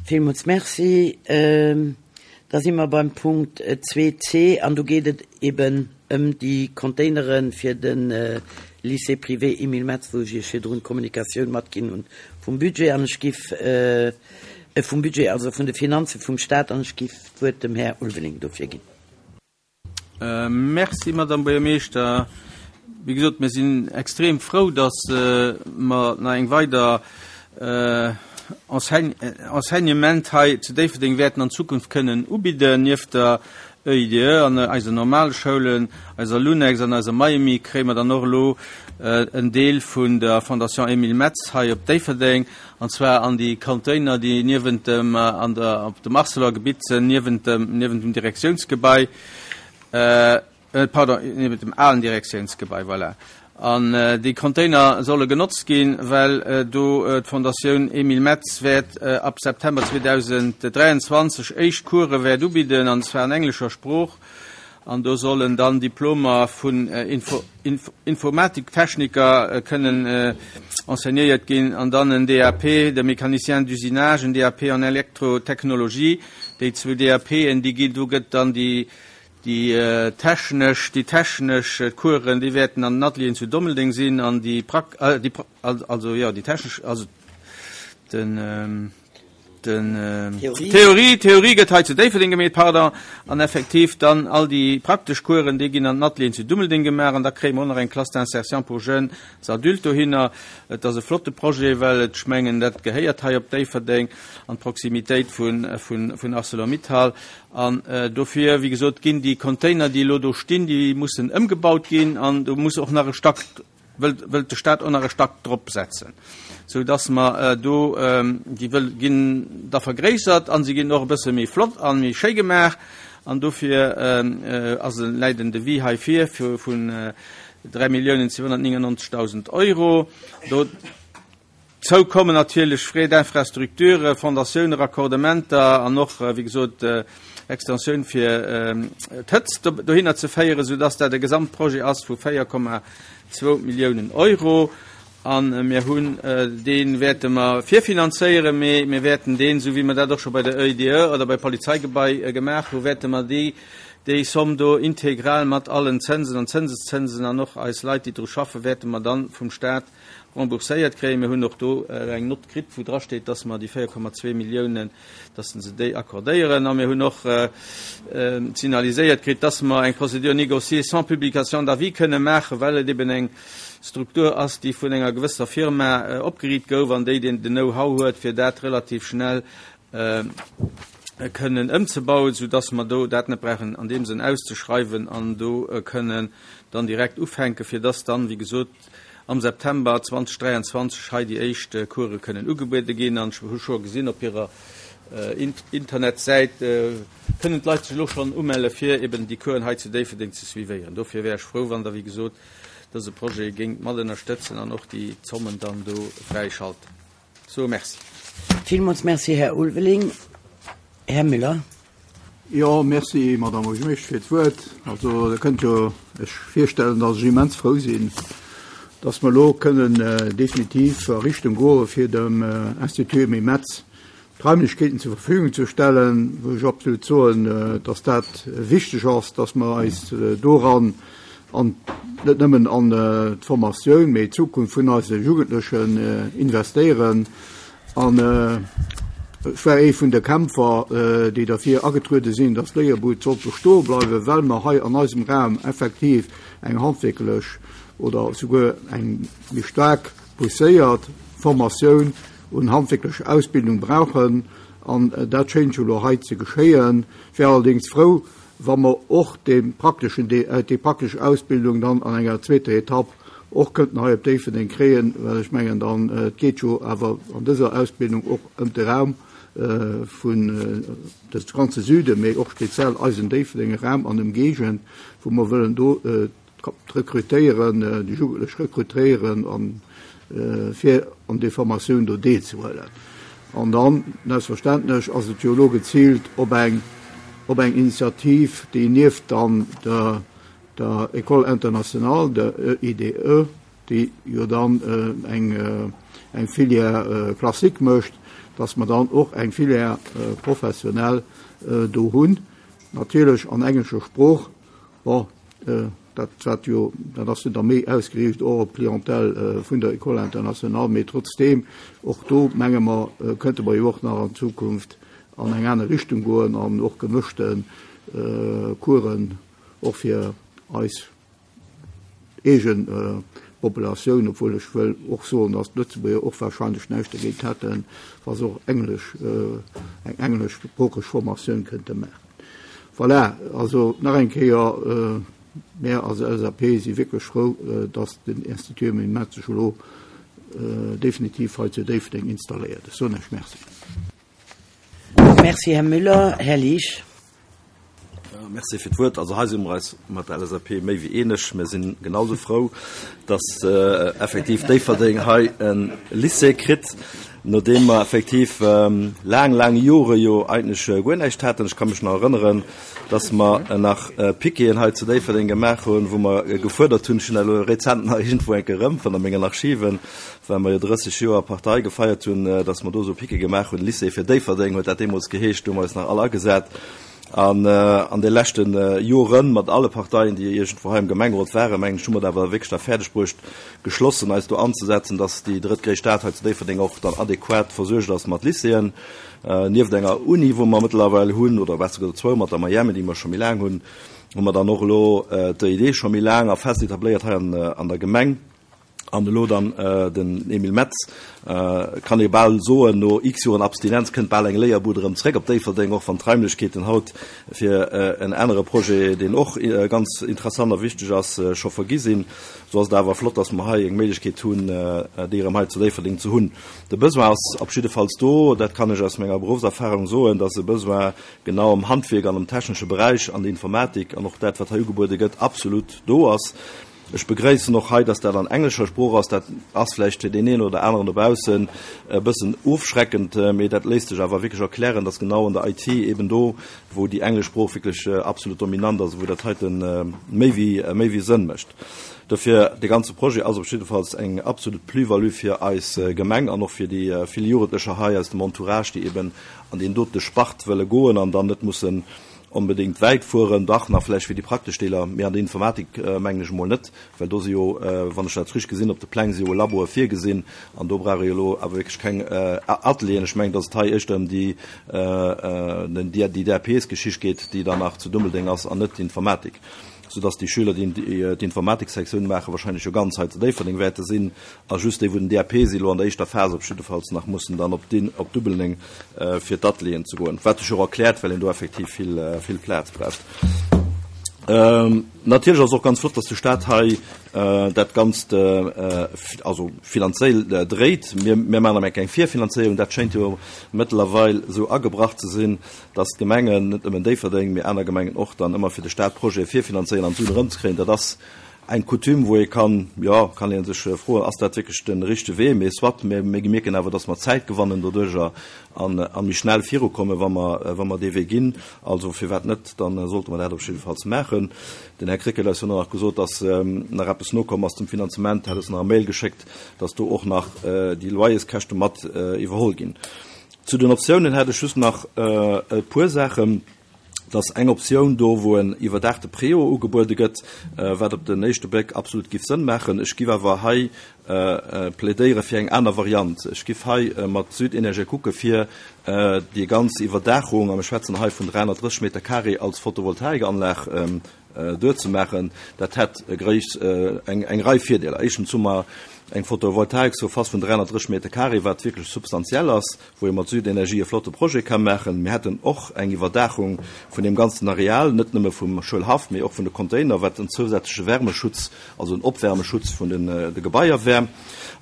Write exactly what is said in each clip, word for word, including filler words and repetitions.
Villmools merci. Da si mer beim Punkt zwee C an do geet et eben ëm déi Containere fir de Lycée privé Emile Metz, wou ech Iech virdrun d'Kommunikatioun matginn hunn vum Budget an ech giff, vum Budget, also vun de Finanze vum Stat, an ech giff d'Wuert dem Här Ulveling dofir ginn. Merci, Madame Buergermeeschter. Wéi gesot, mir sinn extrem frou, dass mer nach eng weider Enseignement hei zu Déifferdeng wäerten an Zukunft kënnen ubidden. Nieft der E I D E an eisen normale Schoulen, eiser Lunex an eiser Miami, kréie mer dann och elo en Deel vun der Fondation Emile Metz hei op Déifferdeng, an zwar an déi Container, déi niewent dem, an der, op dem Arcelor-Gebitt sinn, niewent dem, niewent dem Direktiounsgebai, pardon, niewent dem alen Direktiounsgebai, voilà. An déi Container solle genotzt ginn, well do d'Fondatioun Emile Metz wäert ab September zweedausenddräianzwanzeg éischt Course wäert ubidden, an zwar an englescher Sprooch. An do sollen dann Diplomer vun Informatiktechniker kënnen enseignéiert ginn, an dann en D A P de Mécanicien d'usinage, en D A P en Elektrotechnologie. Déi zwou D A P'en, déi ginn, do gëtt dann déi, déi technesch, déi technesch Coursen, déi wäerten an den Atelieren zu Dummeldeng sinn, an déi Prak-, äh, déi Pra-, also, ja, déi technesch, also den, den, Theorie. Theorie, Theorie gëtt hei zu Déifferdeng gemeet, pardon, an effektiv dann all déi praktesch Coursen, déi ginn an den Atelieren zu Dummeldeng gemaach, an da kréie mer och nach eng Classe d'insertion pour jeunes adultes dohinner. Et ass e flotte Projet, well et, ech mengen, dat gehéiert hei op Déifferdeng an d'Proximitéit vun, vun, vun ArcelorMittal. An dofir, wéi gesot, ginn déi Container, déi elo do stinn, déi mussen ëmgebaut ginn, an do muss och nach e Stack, wëllt, wëllt de Staat och nach e Stack drop setzen, sou dass mer do, déi wëll ginn da vergréissert an si ginn och e bësse méi flott an méi schéi gemaach, an dofir ass en läit en Devis hei vir fir vun dräi Milliounen zweehunnertneunundneunzigtausend Euro. Do zou kommen natierlech Frais d'infrastructure, Fondatioune, Raccordementer an och, wéi gesot, Extensioun fir d'Hëtzt dohinner ze féieren, sou dass dat e Gesamtprojet ass vu véier Komma zwou Milliounen Euro. An mir hunn deen wäerte mer virfinanzéieren, mee mir wäerten deen, sou wéi mer dat och scho bei der E I D E oder bei Polizeigebai gemaach hu, wäerte mer déi, déi Somm do integral mat allen Zinsen an Zinseszinsen an och eis Leit, déi dru schaffen, wäerte mer dann vum Staat rembourséiert kréien. Mir hunn och do eng Nott kritt, wou dra steet, dass mer déi véier Komma zwee Milliounen, dass se déi accordéieren. A mir hunn och signaliséiert kritt, dass mer eng Procédure négociée sans publication d'avis kënne maachen, well et eben eng Struktur ass, déi vun enger gewësser Firma opgeriicht gouf an déi den Know-how huet, fir dat relativ schnell kënnen ëmzebauen, sodass mer do dat net brauchen an deem Sënn auszeschreiwen an do kënnen dann direkt ufänken, fir dass dann, wéi gesot, am September zweitausenddreiundzwanzig hei déi éischt Course kënnen ugebuede ginn. An ech hu scho gesinn op hirer Internetsäit kënnen d'Leit sech elo schonn umelle fir eben déi Coursen hei zu Déifferdeng ze suivéieren. Dofir wär ech frou, wann der, wéi gesot, dëse Projet géingt mat ënnerstëtzen an och déi Zommen dann do fräischalten. So, merci. Villmools merci, Här Ulveling. Här Müller. Ja, merci, Madame Buergermeeschter, fir d'Wuert. Also, da kënnt jo ech virstellen, dass ech immens frou sinn, dass mer elo kënnen definitiv a Richtung goe fir dem Institut Emile Metz d'Raimlechkeeten zur Verfügung zu stellen, wou ech absolut soen, dass dat wichteg ass, dass mer eis doran an net nëmmen an d'Formatioun, mee d'Zukunft vun eise Jugendlechen investéieren. An ech war ee vun de Kämpfer, déi dafür agetruede sinn, dass d'Léierbud soll bestoe bleiwen, well mer hei an eisem Raum effektiv eng handwierklech oder souguer eng méi staark pousséiert Formatioun und handwerkliche Ausbildung brauchen. An dat schéint jo elo hei ze geschéien. Ich wär allerdings frou, wa mer och den praktischen, déi praktesch Ausbildung dann an enger zweeter Etapp och könnten hei op Déifferdeng kréien, well ech mengen dann, et geet jo awer an dëser Ausbildung och ëm de Raum vun des ganze Süden, mee och speziell eisen Déifferdenger Raum an Ëmgéigend, wou mer wëllen do rekrutéieren, déi Jugendlech rekrutéieren an fir an déi Formatioun do deelzehuelen. An dann, selbstverständlech, ass et jo elo gezielt op eng, op eng Initiativ, déi nieft dann der, der École internationale, der E I D E, déi jo dann eng, eng Filière classique mécht, dass mer dann och eng Filière professionnelle do hunn, natierlech an englescher Sprooch. Bon, dat wat jo, dat ass jo da méi ausgeriicht och op d'Clientèle vun der École internationale, mee trotzdeem, och do menge mer, kënnte mer jo och nach an Zukunft an eng aner Richtung goen an och gemëschte Coursen och fir eis eegen Populatioun, obwuel ech wëll och soen, dass d'Lëtzebuerger och wahrscheinlech näischt dergéint hätten, wa se och Englesch, eng engleschsproocheg Formatioun kënnte maachen. Voilà, also nach eng Kéier, mär als L S A P si wierklech frou, dass den Institut Emile Metz sech elo definitiv hei zu Déifferdeng installéiert. Ech soen Iech Merci. Merci, Här Müller. Här Liesch. Ja, merci fir d'Wuert. Also hei si mer eis mat der L S A P méi wéi eeneg. Mir sinn genauso frou, dass, äh, effektiv Déifferdeng hei en Lycée kritt, nodeem mer effektiv, ähm, laang, laang Jore jo eigentlech, äh, guer näischt haten. Ech kann mech nach erënneren, dass mer, äh, nach, äh, Piqueten hei zu Déifferdeng gemaach hunn, wou mer, äh, gefuerdert hunn, ech hunn elo rezent nach irgendwo enke erëm vun mengen Archiven, well mer jo drësseg Joer Partei gefeiert hunn, äh, dass mer do so Piquet gemaach hunn. Lycée fir Déifferdeng huet dat deemools geheescht, do hu mer eis nach alle agesat. An, äh, an de leschten, äh, Joren mat alle Parteien, déi irgendwo hei im Gemengerot waren, mengen ech, hu mer da awer wierklech da fäerdeg bruecht, geschlossen eis do anzusetzen, dass déi drëttgréisst Stad hei zu Déifferdeng och dann adäquat versuergt ass mat Lycéeën. Äh, nieft enger Uni, wou mer mëttlerweil hunn, oder besser gesot zwou mat der Miami, déi mer scho méi laang hunn, hu mer dann och elo, äh, d'E I D scho méi laang a fest etabléiert hei an, äh, an der Gemeng. An elo dann, äh, den Emile Metz, äh, kann ee bal soen, no x Joren Abstinenz kënnt bal eng Léierbude erëm zréck op Déifferdeng, och wann d'Raimlechkeeten haut fir, äh, en anere Projet, deen och, äh, ganz interessant a wichteg ass, äh, scho vergi sinn. So ass et awer flott, dass mer hei eng Méiglechkeet hunn, äh, déi erëm hei zu Déifferdeng ze hunn. De Besoin ass op jiddefalls do, dat kann ech aus menger Berufserfahrung soen, dass e Besoin genau am Handwerk an am technesche Bereich, an der Informatik an och dat, wat hei ugebuede gëtt, absolut do ass. Ech begréissen och hei, dass dat an englescher Sprooch ass. Dat ass vläicht fir den een oder aneren dobaussen e bëssen ofschreckend, mee dat léisst sech awer wierklech erklären, dass genau an der I T eben do, wou déi englesch Sprooch wierklech, äh, absolut dominant ass, wou dat heiten, äh, méi wéi, äh, méi wéi Sënn mécht. Dofir, de ganze Projet ass op jiddefalls eng absolut Plus-value fir eis, äh, Gemeng an och fir déi, äh, vill Jugendlecher hei aus dem Entourage, déi eben an den dote Spart wëlle goen an dann net mussen unbedingt weit fuhren, dach nach vielleicht für die praktisch Deeler, mehr an der Informatik, äh, mengen ech mol net, well do si jo, äh, wann ech dat richtig gesinn, op de Pläng si jo Labor virgesinn, an do brauche jo lo awer wirklich keng, äh, Atelieren. Ech mengen, dass et hei echt ëm die, äh, äh, die, die D A Ps-Geschicht geht, déi danach zu Dummeldeng ass an net d'Informatik. Sodass die Schüler, die die, die Informatiksektion machen, wahrscheinlich schon ganz hei zu Déifferdeng wäerte sinn, a just déi, wou den D A P si lo an der éischter Phase op jiddefalls nach mussen dann op den, op Dummeldeng, äh, fir d'Atelieren ze goen. Wat sech och erkläert, well een do effektiv vill, äh, vill Plaz braucht. Ähm, natierlech ass och ganz flott, dass de Staat hei, äh, dat Ganzt, äh, also finanziell, äh, dréit. Mir, mir machen eng Virfinanzéierung, dat schéint jo mëttlerweil so agebracht ze sinn, dass d'Gemengen, net nëmmen Déifferdeng, mee aner Gemengen och dann ëmmer fir de Staat Projet virfinanzéieren an Suen erëmzekréien. Dat ass eng Coutume, wou ee kann, ja, kann een sech, äh, froen, ass dat wirklich den richtege Wee, mee soit, mir, mir mierken awer, dass mer Zäit gewannen doduerch an, an méi schnell virukommen, wa mer, äh, wa mer dee Wee ginn. Also firwat net, dann, äh, sollte mer dat op jiddefalls maachen. Den Herr Krecké huet nach gesot, dass, ähm, nach eppes nokomm ass zum Finanzement, hat es nach e Mail geschéckt, dass do och nach, äh, déi Loyerskäschte mat, äh, iwwerholl ginn. Zu den Optionen hätte ich just nach, äh, e puer Sachen. Dass eng Optioun do, wo en iwwerdachte Préau ugebuede gëtt, äh, wat op den éischte Bléck absolut giff Sënn maachen. Ech giff awer hei, äh, äh, plädéiere fir eng aner Variant. Ech giff hei, äh, mat Südenergie kucke fir, äh, déi ganz Iwwerdaachung, a mir schwätzen hei vun dreihunnertdrësseg Meter Carré als Photovoltaikanlag, ähm, äh, duerzemaachen. Dat hätt, äh, gréis, äh, eng, eng Rei Virdeeler. Éischtens hu mer eng Photovoltaik so fast vun dreihunnertdrësseg Meter Carré, wat wirklich substantiell ass, wou ee mat Südenergie e flotte Projet kann maachen. Mir hätten och eng Iwwerdaachung vun dem ganzen Areal, net nëmme vum Schoulhaff, mee och vun de Container, wat en zusätzliche Wärmeschutz, also en Opwärmeschutz vun den, äh, de Gebaier wär.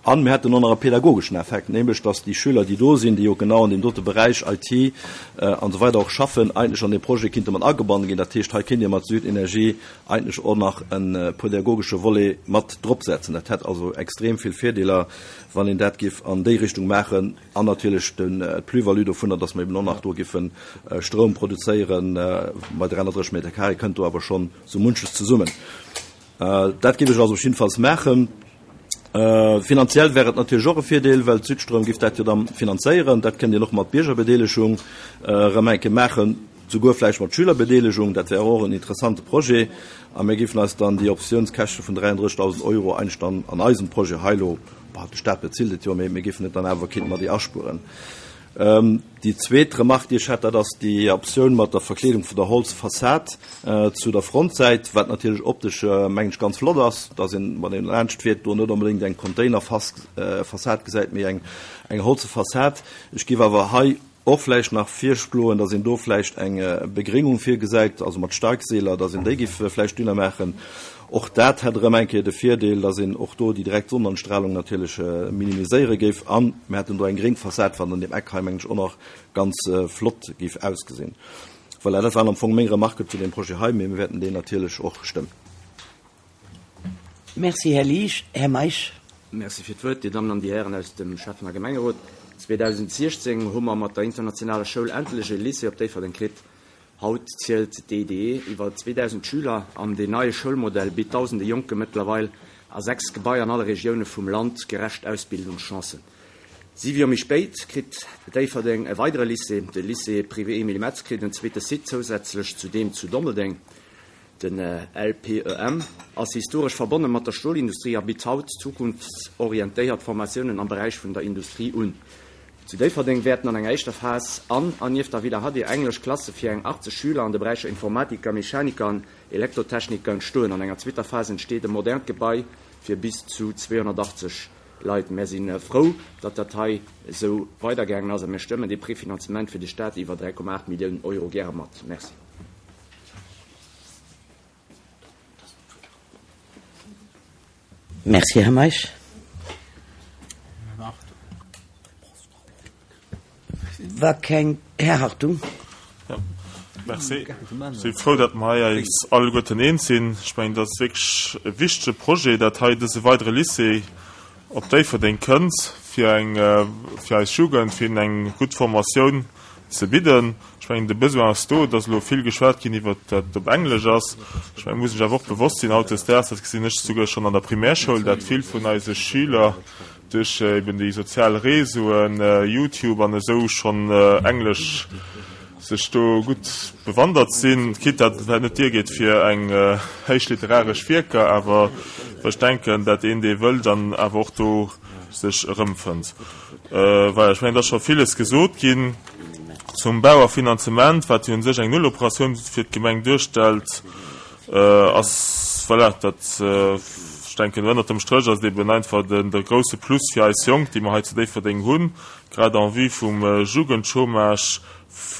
An mir hätten och nach e pädagogeschen Effekt, nämlech, dass die Schüler, déi do sinn, déi jo genau an dem dote Bereich I T, äh, an so weiter och schaffen, eigentlich an den Projet kinnte man agebannen ginn. Dat heescht, hei kinnt Dir mat Südenergie eigentlich och nach en, äh, pädagogesche Volet mat drop setzen. Dat hätt also extrem vill Virdeeler, wann een dat giff an déi Richtung maachen, an natierlech den, äh, d'Plus-value dovunner, dass mer eben och nach do giffen, äh, Strom produzéieren, äh, bei dreihunnertdrësseg Meter Carré kënnt do awer schon so munches zesummen. Äh, dat giff ech also auf jeden Fall maachen. Finanziell wär et natierlech och e Virdeel, well d'Südstroum giff dat jo da finanzéieren. Dat kënnt een och mat Biergerbedeelegung erëm eng Kéier maachen, souguer vläicht mat Schülerbedeelegung. Dat wär och en interessante Projet. A mir giffen eis dann déi Optiounskäschte vun dräianddrëssigtausend Euro eigentlech dann an eisem Projet hei elo, bah, de Staat bezilt et jo, mee mir giffen et dann awer kéinte mer déi aspueren. Déi zweet Remarque, déi ech hätt, dat ass déi Optioun mat der Verkleedung vun der Holzfassad zu der Frontsäit, wat natierlech optesch, mengen ech, ganz flott ass, dass een, wann een laanscht fiert, do net onbedéngt eng Containerfassad gesäit, mee eng eng holze Fassad. Ech géif awer hei och vläicht nach virschloen, dass een do vläicht eng Begréngung virgesäit, also mat Steigseeler, dass een déi géif vläicht dünner maachen. Och dat hätt erëm eng Kéier de Virdeel, dass een och do déi direkt Sonnenanstrahlung natierlech minimiséiere géif. A mir hätten do eng gréng Fassad, wat an deem Eck hei, mengen ech, och nach ganz flott géif ausgesinn. Voilà, dat waren am Fong meng Remarken zu deem Projet hei, mee mir wäerten deen natierlech och stëmmen. Merci, Här Liesch. Här Meisch. Merci fir d'Wuert, Dir Dammen an Dir Hären aus dem Schäffen a Gemengerot. zweedausensiechzéng hu mer mat der internationaler Schoul endlech e Lycée op Déifferdeng kritt. Haut zielt d'E D E iwwer zweedausend Schüler an deen neie Schoulmodell bitt dausende Jonke mëttlerweil a sechs Gebaier an alle Regioune vum Land gerecht Ausbildungschancen. Siwe Joer méi spéit kritt Déifferdeng e weidere Lycée. De Lycée privé Emile Metz kritt en zweete Site zousätzlech zu deem zu Dommeldeng. Den L P E M ass historesch verbonne mat der Stolindustrie a bitt haut zukunftsorientéiert Formatiounen am Beräich vun der Industrie un. Zu Déifferdeng wäerten an enger éischter Phas an an nieft der Villa Hadir englesch Klasse fir eng achtzeg Schüler an de Beräicher Informatiker, Mechaniker an Elektrotechniker entstoen. An enger zweeter Phas entsteet e modernt Gebai fir bis zu zweehonnertachtzeg Leit. Mär si frou, datt dat hei esou weidergaangen ass a mir stëmmen dee Prefinanzement fir de Staat iwwer dräi Komma aacht Milliounen Euro gäre mat. Merci. Merci, Här Meisch. Wa keng, Här Hartung. Ja, merci. Ech si frou, datt mer hei eis alleguerten eens sinn. Ech mengen, dat ass wierklech e wichtege Projet, dat hei dëse weidere Lycée op Déifferdeng kënnt, fir eng, fir eis Jugend, fir hinnen eng gutt Formatioun ze bidden. Ech mengen, de Besoin ass do. Et ass elo vill geschwat ginn iwwert dat et op Englesch ass. Ech mengen, muss sech awer och bewosst sinn hautdesdaags, dat gesinn ech souguer schonn an der Primärschoul, dat vill vun eise Schüler duerch eben déi sozial Réseauen, YouTube an esou schonn Englesch sech do gutt bewandert sinn, quitte dat et vläicht net duergeet fir eng héich literaresch Wierker, awer ech denken, dat een, dee wëll, dann awer och do sech erëmfënnt. Voilà, ech mengen, et ass scho villes gesot ginn zum Bau a Finanzement, wat jo u sech eng Nulloperatioun fir d'Gemeng duerstellt, ass, voilà, dat, ech denken, ënnert dem Stréch ass et eben einfach den, de grouse Plus fir eis Jonk, déi mer hei zu Déifferdeng hunn, grad en vue vum Jugendchômage,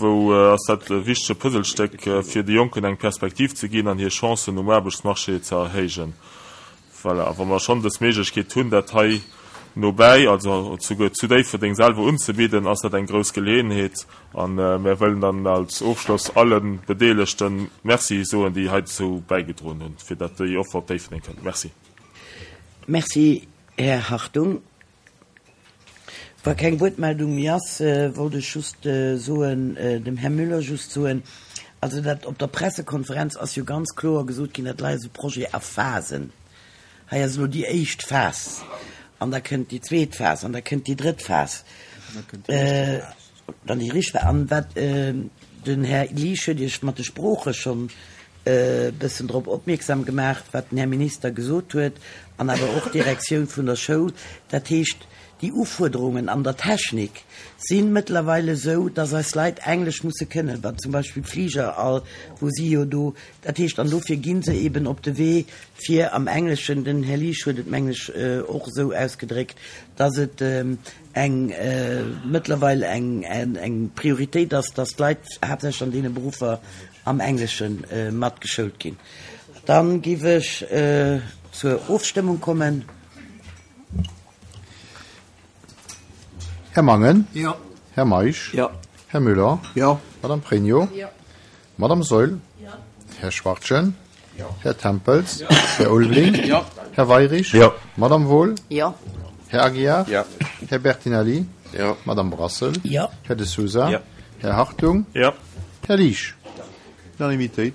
wou ass dat e wichtege Puzzlestéck, fir de Jonken eng Perspektiv ze ginn an hir Chancen um Aarbechtsmarché ze erhéijen. Voilà, a wa mer schonn dës Méiglechkeet hunn, dat hei nobäi, also souguer zu Déifferdeng selwer unzebidden, ass dat eng grouss Geleeënheet. A mir wëllen dann als Ofschloss alle Bedeelegte Merci soen, déi heizou bäigedroen hunn, fir datt déi Offer op Déifferdeng kënnt. Merci. Merci, Här Hartung. Wa keng Wuertmeldung méi ass, wollt ech just soen, dem Här Müller just soen, also dat op der Pressekonferenz ass jo ganz kloer gesot ginn, dat lei ass e Projet a Phasen. Hei ass elo déi éischt Phas an da kënnt déi zweet Phas an da kënnt déi drëtt Phas. Dann déi richteg Phas. An wat den Här Liesch huet Iech mat de Sprooche schonn e bëssen drop opmierksam gemaach, wat den Här Minister gesot huet an awer och d'Direktioun vun der Schoul. Dat heescht, déi Ufuerderungen an der Technik si mëttlerweile esou, dass eis Leit Englesch musse kënnen, wat zum Beispill Fliger all, wou si jo do, dat heescht, an dofir gi se eben op de Wee fir am Engleschen, den Här Liesch huet et meng ech och esou ausgedréckt, dass et eng mëttlerweil eng eng Prioritéit ass, dass d'Leit haaptsächlech an deene Beruffer am Englesche matgeschoult ginn. Dann géif ech zur Ofstëmmung kommen. Här Mangen? Jo. Här Meisch? Jo. Här Müller? Jo. Madame Pregno? Jo. Madame Saeul? Jo. Här Schwachtgen? Jo. Här Tempels? Jo. Här Ulveling? Jo. Här Weirich? Jo. Madame Wohl? Jo. Här Aguiar? Jo. Här Bertinelli? Jo. Madame Brassel? Jo. Här De Sousa? Jo. Här Hartung? Jo. Här Liesch? Unanimitéit.